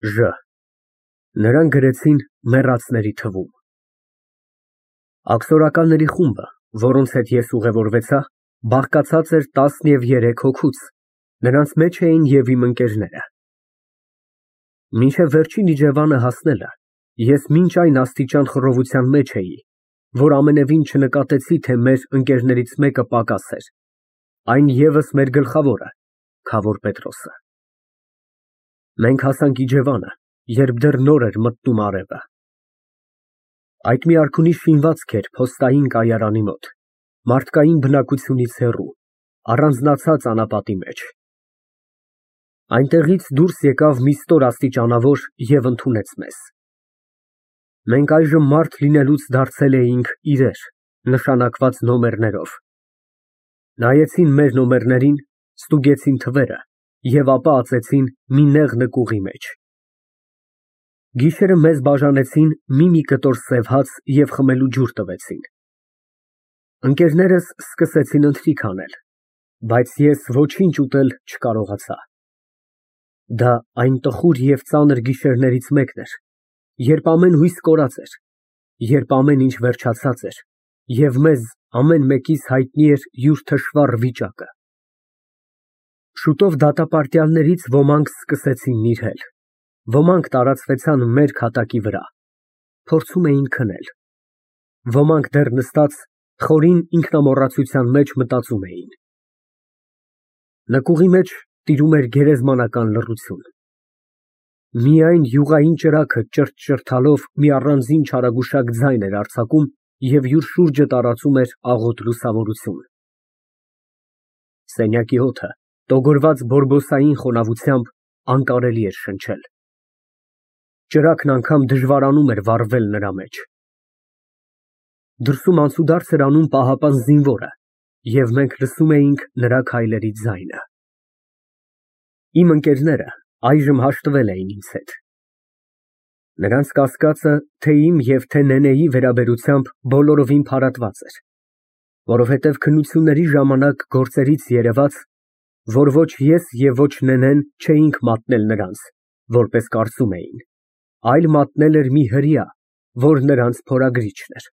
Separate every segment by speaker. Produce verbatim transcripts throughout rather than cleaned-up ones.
Speaker 1: Ժ. Նրան գրեցին մեռածների թվում։ Աքսորականների խումբը, որոնց հետ ես ուղևորվեցա, բաղկացած էր տասնյոթ հոգուց, նրանց մեջ էին և իմ ընկերները։ Մինչև վերջին իջևանը հասնելը ես մինչ այն աստիճան խռովության մեջ էի, որ ամենևին չնկատեցի, թե մեր ընկերներից մեկը պակաս էր, այն ևս մեր գլխավորը Քավոր Պետրոսը։ Մենք հասանք իջևանը, երբ դեռ նոր էր մտնում արևը։ Այդ մի արքունի շինվածք էր փոստային կայարանի մոտ, մարդկային բնակությունից հեռու, առանձնացած անապատի մեջ։ Այնտեղից դուրս եկավ մի ստոր աստիճանավոր և ընդունեց մեզ։ Մենք այժմ մարդ լինելուց դարձել էինք իրեր, նշանակված նոմերներով։ Նայեցին մեր նոմերներին, ստուգեցին թվերը և ապա ածեցին մի նեղ նկուղի մեջ։ Գիշերը մեզ բաժանեցին մի֊մի կտոր սև հաց և խմելու ջուր տվեցին։ Ընկերներս սկսեցին ընթրիք անել, բայց ես ոչինչ ուտել չկարողացա։ Դա այն տխուր և ծանր գիշերներից մեկն էր, երբ ամեն հույս կորած էր, երբ ամեն ինչ վերջացած էր, և մեզ ամեն մեկիս հայտնի էր յուր թշվառ վիճակը։ Շուտով դատապարտյալներից ոմանք սկսեցին նիրհել, ոմանք տարածվեցան մեր քատակի վրա, փորձում էին քնել, ոմանք դեռ նստած խորին ինքնամոռացության մեջ մտածում էին։ Նկուղի մեջ տիրում էր գերեզմանական լռություն։ Միայն յուղային ճրագը ճրթ֊ճրթալով մի առանձին չարագուշակ ձայն էր արձակում և յուր շուրջը տարածում էր աղոտ լուսավորություն։ Սենյակի օդը, տոգորված բորբոսային խոնավությամբ, անկարելի էր շնչել։ Ճրագն անգամ դժվարանում էր վառվել նրա մեջ։ Դրսում անցուդարձ էր անում պահապան զինվորը, և մենք լսում էինք նրա քայլերի ձայնը։ Իմ ընկերները այժմ հաշտվել էին ինձ հետ։ Նրանց կասկածը թե իմ և թե Նենեի վերաբերությամբ բոլորովին փարատված էր, որովհետև քննությունների ժամանակ գործերից երևաց, որ ոչ ես և ոչ Նենեն չէինք մատնել նրանց, որպես կարծում էին, այլ մատնել էր մի հրեա, որ նրանց փորագրիչն էր։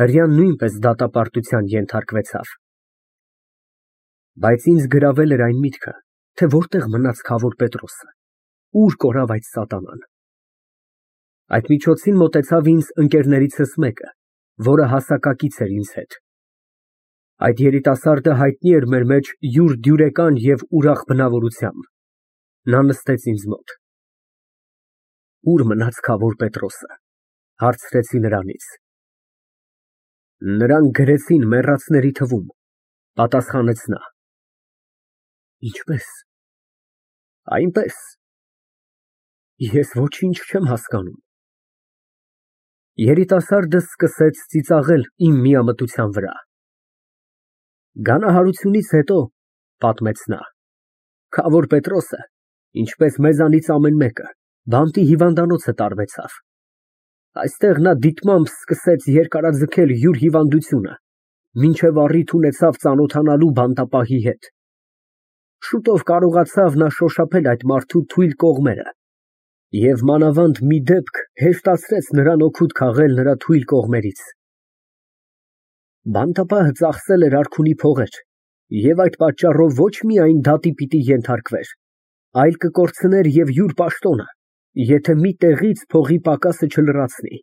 Speaker 1: Հրեան նույնպես դատապարտության ենթարկվեցավ։ Բայց ինձ գրավել էր այն միտքը, թե որտեղ մնաց Քավոր Պետրոսը, ուր կորավ այդ սատանան։ Այդ միջոցին մոտեցավ ինձ ընկերներիցս մեկը, որը հասակակից էր ինձ հետ։ Այդ երիտասարդը հայտնի էր մեր մեջ յուր դյուրեկան և ուրախ բնավորությամբ։ Նա նստեց ինձ մոտ։ Ո՞ւր մնաց Քավոր Պետրոսը, հարցրեցի նրանից։ Նրան գրեցին մեռածների թվում, պատասխանեց նա։ Ինչպե՞ս։ Այնպես։ Ես ոչինչ չեմ հասկանում։ Երիտասարդը սկսեց ծիծաղել իմ միամտության վրա։ Գանահարությունից հետո, պատմեց նա, Քավոր Պետրոսը, ինչպես մեզանից ամեն մեկը, բանտի հիվանդանոցը տարվեցավ։ Այստեղ նա դիտմամբ սկսեց երկարաձգել յուր հիվանդությունը, մինչև առիթ ունեցավ ծանոթանալու բանտապահի հետ։ Շուտով կարողացավ նա շոշափել այդ մարդու թույլ կողմերը և մանավանդ մի դեպք հեշտացրեց նրան օգուտ քաղել նրա թույլ կողմերից։ Բանտապահը ծախսել էր արքունի փողեր և այդ պատճառով ոչ միայն դատի պիտի ենթարկվեր, այլ կկորցներ և յուր պաշտոնը, եթե մի տեղից փողի պակասը չլրացնի։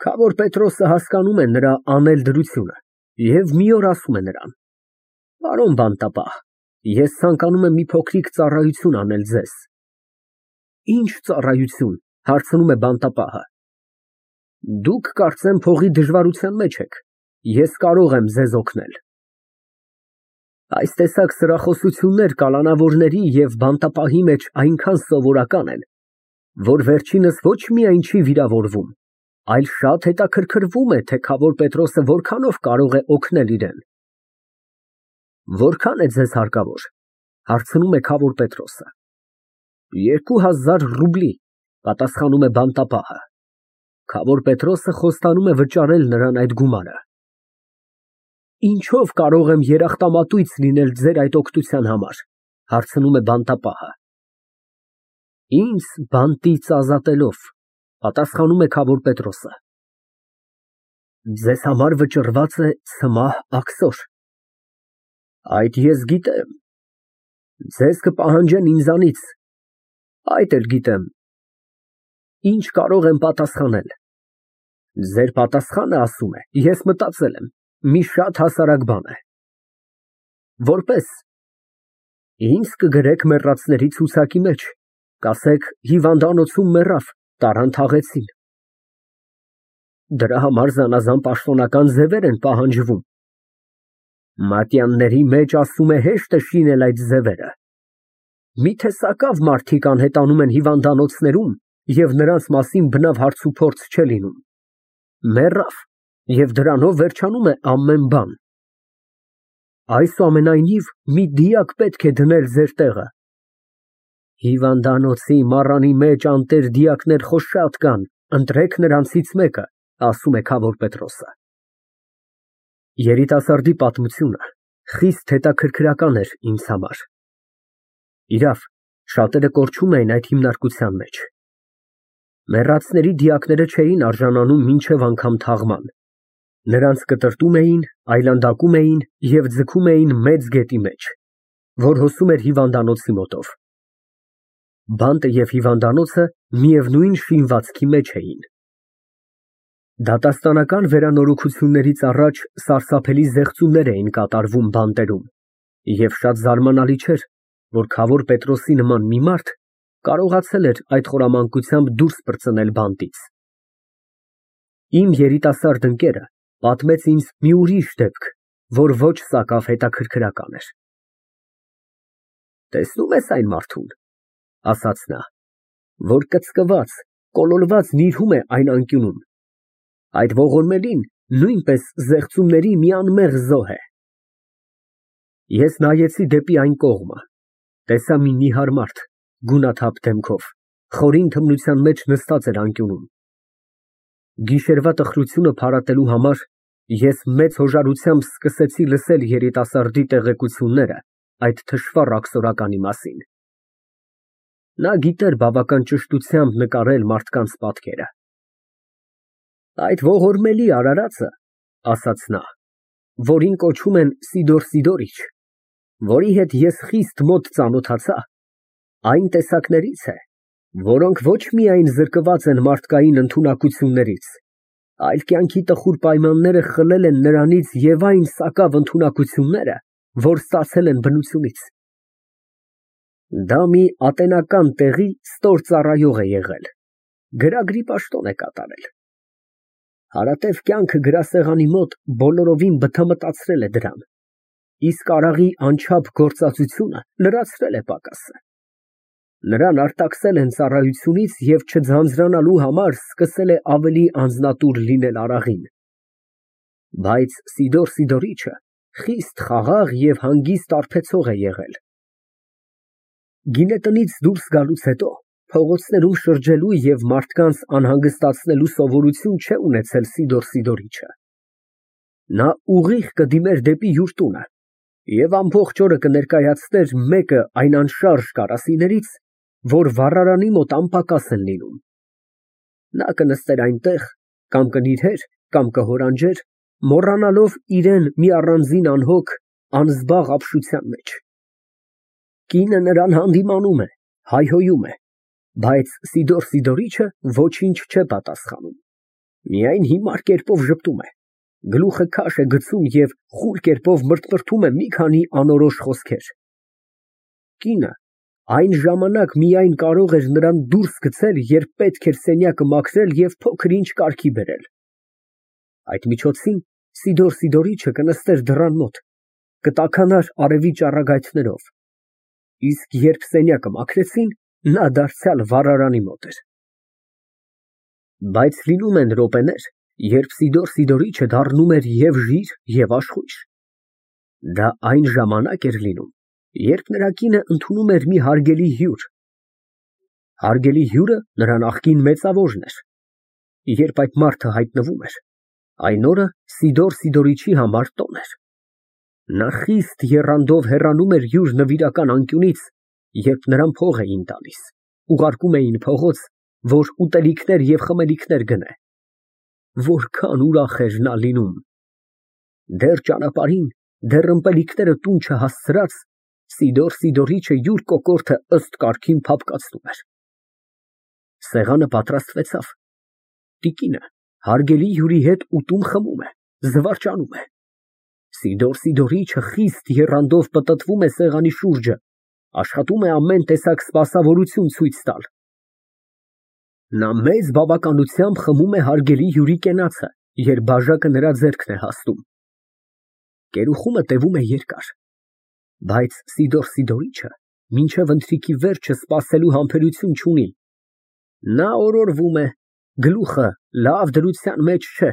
Speaker 1: Քավոր Պետրոսը հասկանում է նրա անել դրությունը և մի օր ասում է նրան. Պարոն բանտապահ, ես ցանկանում եմ մի փոքրիկ ծառայություն անել ձեզ։ Ինչ ծառայություն, հարցնում է բանտապահը։ Դուք կարծեմ փողի դժվարության մեջ եք, ես կարող եմ ձեզ օգնել։ Այս տեսակ սրախոսություններ կալանավորների և բանտապահի մեջ այնքան սովորական են, որ վերջինս ոչ միայն չի վիրավորվում, այլ շատ հետաքրքրվում է, թե Քավոր Պետրոսը որքանով կարող է օգնել իրան։ Որքան է ձեզ հարկավոր, հարցնում է Քավոր Պետրոսը։ Երկու հազար ռուբլի, պատասխանում է բանտապահը։ Քավոր Պետրոսը խոստանում է վճարել նրան այդ գումարը։ Ինչով կարող եմ երախտամատույց լինել ձեր այդ օգնության համար, հարցնում է բանտապահը։ Ինձ բանտից ազատելով, պատասխանում է Քավոր Պետրոսը։ Ձեզ համար վճռված է ցմահ աքսոր։ Այդ ես գիտեմ, ձեզ կպահանջեն ինձանից, այդ էլ գիտեմ։ Ինչ կարող եմ պատասխանել։ Ձեր պատասխանը, ասում է, ես մտածել եմ, մի շատ հասարակ բան է։ Որպես ինձ կգրեք մեռածների ցուցակի մեջ, կասեք հիվանդանոցում մեռավ, տարան թաղեցին։ Դրա համար զանազան պաշտոնական ձևեր են պահանջվում։ Մատյանների մեջ, ասում է, հեշտ է շինել այդ ձևերը։ Միթե սակավ մարդիկ անհետանում են հիվանդանոցներում և նրանց մասին բնավ հարցուփորձ չէ լինում։ Մեռավ, և դրանով վերջանում է ամեն բան։ Այսուամենայնիվ, մի դիակ պետք է դնել ձեր տեղը։ Հիվանդանոցի մառանի մեջ անտեր դիակներ խո շատ կան, ընտրեք նրանցից մեկը, ասում է Քավոր Պետրոսը։ Երիտասարդի պատմությունը խիստ հետաքրքրական էր ինձ համար։ Իրավ, շատերը կորչում էին այդ հիմնարկության մեջ։ Մեռածների դիակները չէին արժանանում մինչև անգամ թաղման։ Նրանց կտրտում էին, այլանդակում էին և ձգում էին մեծ գետի մեջ, որ հոսում էր հիվանդանոցի մոտով։ Բանտը և հիվանդանոցը միևնույն շինվածքի մեջ էին։ Դատաստանական վերանորոգություններից առաջ սարսափելի զեղծումներ էին կատարվում բանտերում, և շատ զարմանալի չէր, որ Քավոր Պետրոսի նման մի մարդ կարողացել էր այդ խորամանկությամբ դուրս պրծնել բանտից։ Իմ երիտասարդ ընկերը պատմեց ինձ մի ուրիշ դեպք, որ ոչ սակավ հետաքրքրական էր։ Տեսնում ես այն մարդուն, ասաց նա, որ կծկված, կոլորված նիրհում է այն անկյունում։ Այդ ողորմելին նույնպես զեղծումների մի անմեղ զոհ է։ Ես նայեցի դեպի այն կողմը, տեսա մի նիհար մարդ, գունաթափ դեմքով, խորին թմրության մեջ նստած էր անկյունում։ Գիշերվա տխրությունը փարատելու համար ես մեծ հոժարությամբ սկսեցի լսել երիտասարդի տեղեկությունները այդ թշվառ աքսորականի մասին։ Նա գիտեր բավական ճշտությամբ նկարել մարդկանց պատկերը։ Այդ ողորմելի արարածը, ասաց նա, որին կոչում են Սիդոր Սիդորիչ, որի հետ ես խիստ մոտ ծանոթացա, այն տեսակներից է, որոնք ոչ միայն զրկված են մարդկային ընդունակություններից, այլ կյանքի տխուր պայմանները խլել են նրանից և այն սակավ ընդունակությունները, որ ստացել են բնությունից։ Դա մի ատենական տեղի ստոր ծառայող է եղել, գրագրի պաշտոն է կատարել։ Հարատև կյանքը գրասեղանի մոտ բոլորովին բթամտացրել է դրան, իսկ արաղի անչափ գործածությունը լրացրել է պակասը։ Նրան արտաքսել են ծառայությունից և չձանձրանալու համար սկսել է ավելի անձնատուր լինել արաղին։ Բայց Սիդոր Սիդորիչը խիստ խաղաղ և հանգիստ արբեցող է եղել։ Գինետնից դուրս գալուց հետո փողոցներում շրջելու և մարդկանց անհանգստացնելու սովորություն չէ ունեցել Սիդոր Սիդորիչը։ Նա ուղիղ կդիմեր դեպի յուր տունը և ամբողջ օրը կներկայացներ մեկը այն անշարժ կարասիներից, որ վառարանի մոտ անպակաս են լինում։ Նա կնստեր այնտեղ, կամ կնիրհեր, կամ կհորանջեր, մոռանալով իրան մի առանձին անհոգ, անզբաղ ապշության մեջ։ Կինը նրան հանդիմանում է, հայհոյում է, բայց Սիդոր Սիդորիչը ոչինչ չէ պատասխանում, միայն հիմար կերպով ժպտում է, գլուխը քաշ է գցում և խուլ կերպով մրթմրթում է մի քանի անորոշ խոսքեր։ Կինը այն ժամանակ միայն կարող էր նրան դուրս գցել, երբ պետք էր սենյակը մաքրել և փոքր-ինչ կարգի բերել։ Այդ միջոցին Սիդոր Սիդորիչը կնստեր դռան մոտ, կտաքանար արևի ճառագայթներով, իսկ երբ սենյակը մաքրեցին, նա դարձյալ վառարանի մոտ էր։ Բայց լինում են րոպեներ, երբ Սիդոր Սիդորիչը դառնում էր և ժիր, և աշխույժ։ Դա այն ժամանակ էր լինում, երբ նրա կինը ընդունում էր մի հարգելի հյուր։ Հարգելի հյուրը նրա նախկին մեծավորն էր։ Երբ այդ մարդը հայտնվում էր, այն օրը Սիդոր Սիդորիչի համար տոն էր։ Նա խիստ եռանդով հեռանում էր յուր նվիրական անկյունից, երբ նրան փող էին տալիս, ուղարկում էին փողոց, որ ուտելիքներ և խմելիքներ գնե։ Որքան ուրախ էր նա լինում։ Դեռ ճանապարհին, դեռ ըմպելիքները տուն չհասցրած, Սիդոր Սիդորիչը յուր կոկորդը ըստ կարգին փափկացնում էր։ Սեղանը պատրաստվեցավ։ Տիկինը հարգելի հյուրի հետ ուտում խմում է, զվարճանում է։ Սիդոր Սիդորիչը խիստ եռանդով պտտվում է սեղանի շուրջը, աշխատում է ամեն տեսակ սպասավորություն ցույց տալ։ Նա մեծ բավականությամբ խմում է հարգելի հյուրի կենացը, երբ բաժակը նրա ձեռքն է հասնում։ Կերուխումը տևում է երկար, բայց Սիդոր Սիդորիչը մինչև ընթրիքի վերջը սպասելու համբերություն չունի։ Նա օրորվում է, գլուխը լավ դրության մեջ չէ։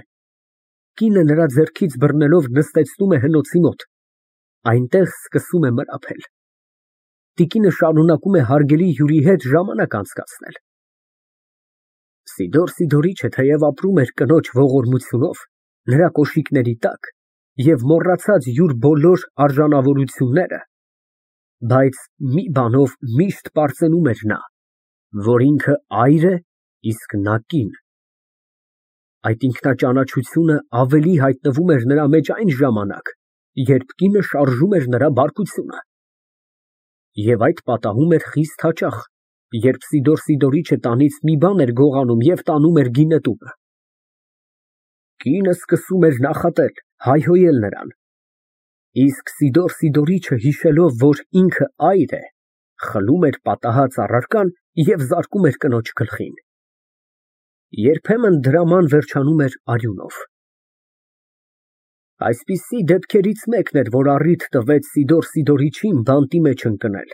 Speaker 1: Կինը նրա ձեռքից բռնելով նստեցնում է հնոցի մոտ, այնտեղ սկսում է մրապել։ Տիկինը շարունակում է հարգելի հյուրի հետ ժամանակ անցկացնել։ Սիդոր Սիդորիչը թեև ապրում էր կնոջ ողորմությունով, նրա կոշիկների տակ և մոռացած յուր բոլոր արժանավորությունները, բայց մի բանով միշտ պարծենում էր նա, որ ինքը այր է, իսկ նա կին։ Այդ ինքնաճանաչությունը ավելի հայտնվում էր նրա մեջ այն ժամանակ, երբ կինը շարժում էր նրա բարկությունը։ Եվ այդ պատահում էր խիստ հաճախ, երբ Սիդոր Սիդորիչը տանից մի բան էր գողանում և տանում էր գինետուկը։ Կինը սկսում էր նախատել, հայհոյել նրան։ Իսկ Սիդոր Սիդորիչը, հիշելով, որ ինքը այր է, խլում էր պատահած առարկան և զարկում էր կնոջ գլխին։ Երբեմն դրաման վերջանում էր արյունով։ Այսպիսի դեպքերից մեկն էր, որ առիթ տվեց Սիդոր Սիդորիչին բանտի մեջ ընկնել։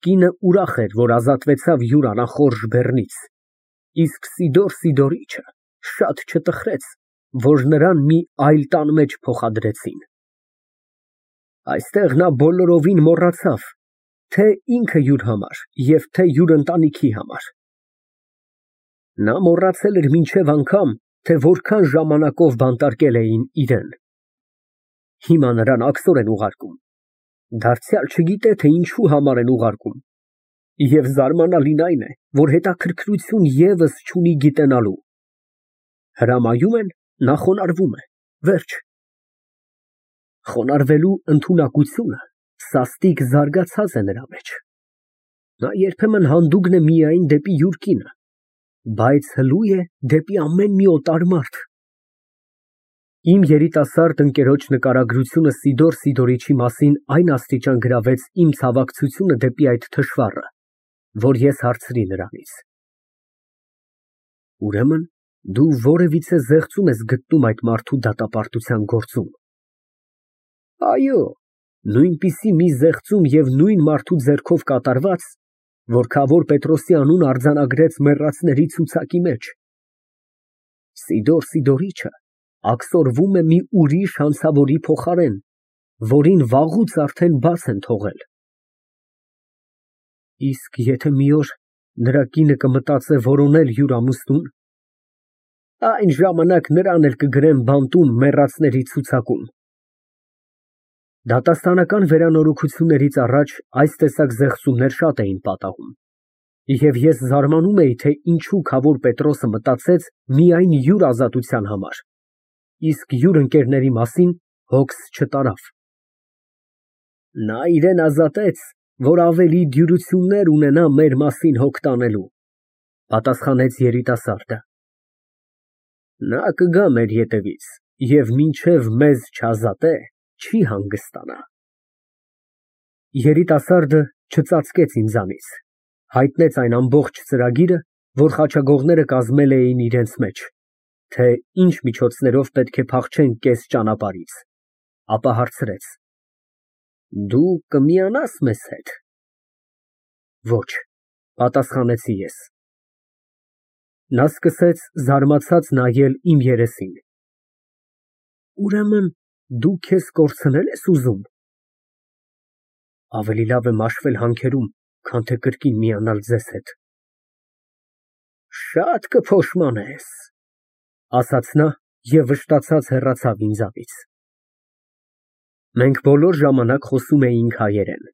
Speaker 1: Կինը ուրախ էր, որ ազատվեցավ յուր անախորժ բեռնից, իսկ Սիդոր Սիդորիչը շատ չտխրեց, որ նրան մի այլ տան մեջ փոխադրեցին։ Այստեղ նա բոլորովին մոռացավ, թե ինքը յուր համար և թե յուր ընտանիքի համար։ Նա մոռացել էր մինչև անգամ, թե որքան ժամանակով բանտարկել էին իրան։ Հիմա նրան աքսոր են ուղարկում, դարձյալ չգիտե, թե ինչի համար են ուղարկում, և զարմանալին այն է, որ հետաքրքրություն ևս չունի գիտենալու։ Հրամայում են, նա խոնարհվում է, վերջ։ Խոնարհվելու ընդունակությունը սաստիկ զարգացած է նրա մեջ։ Նա երբեմն հանդուգն է միայն դեպի յուր կինը, բայց հլու է դեպի ամեն մի օտար մարդ։ Իմ երիտասարդ ընկերոջ նկարագրությունը Սիդոր Սիդորիչի մասին այն աստիճան գրավեց իմ ցավակցությունը դեպի այդ թշվառը, որ ես հարցրի նրանից. Ուրեմն դու որևիցե զեղծում ես գտնում այդ մարդու դատապարտության գործում։ Այո, նույնպիսի մի զեղծում և նույն մարդու ձեռքով կատարված, որ Քավոր Պետրոսի անունը արձանագրեց մեռածների ցուցակի մեջ։ Սիդոր Սիդորիչը աքսորվում է մի ուրիշ հանցավորի փոխարեն, որին վաղուց արդեն բաց են թողել։ Իսկ եթե մի օր նրա կինը կմտածե որոնել յուր ամուսնուն, այն ժամանակ նրան էլ կգրեն բանտում մեռածների ցուցակում։ Դատաստանական վերանորոգություններից առաջ այս տեսակ զեղծումներ շատ էին պատահում, և ես զարմանում էի, թե ինչու Քավոր Պետրոսը մտածեց միայն յուր ազատության համար, իսկ յուր ընկերների մասին հոգս չտարավ։ Նա իրան ազատեց, որ ավելի դյուրություններ ունենա մեր մասին հոգ տանելու, պատասխանեց երիտասարդը։ Նա կգա մեր ետևից և մինչև մեզ չազատե, չի հանգստանա։ Երիտասարդը չծածկեց ինձանից, հայտնեց այն ամբողջ ծրագիրը, որ խաչագողները կազմել էին իրենց մեջ, թե ինչ միջոցներով պետք է փախչեն կես ճանապարհից, ապա հարցրեց. Դու կմիանա՞ս մեզ հետ։ Ոչ, պատասխանեցի ես։ Նա սկսեց զարմացած նայել իմ երեսին։ Ուրեմն դու քեզ կորցնել ես ուզում։ Ավելի լավ է մաշվել հանքերում, քան թե կրկին միանալ ձեզ հետ։ Շատ կփոշմանես, ասաց նա և վշտացած հեռացավ ինձանից։ Մենք բոլոր ժամանակ խոսում էինք հայերեն,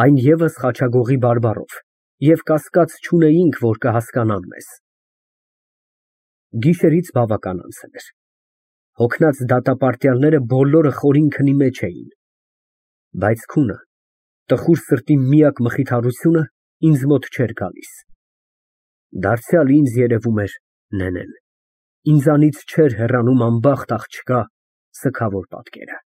Speaker 1: այն ևս խաչագողի բարբառով, և կասկած չունեինք, որ կհասկանան մեզ։ Գիշերից բավական անցել էր։ Հոգնած դատապարտյալները բոլորը խորին քնի մեջ էին, բայց քունը, տխուր սրտի միակ մխիթարությունը ինձ մոտ չէր գալիս։ Դարձյալ ինձ երևում էր նենեն, ինձանից չէր հեռանում անբախտ աղջկա սգավոր պատկերը։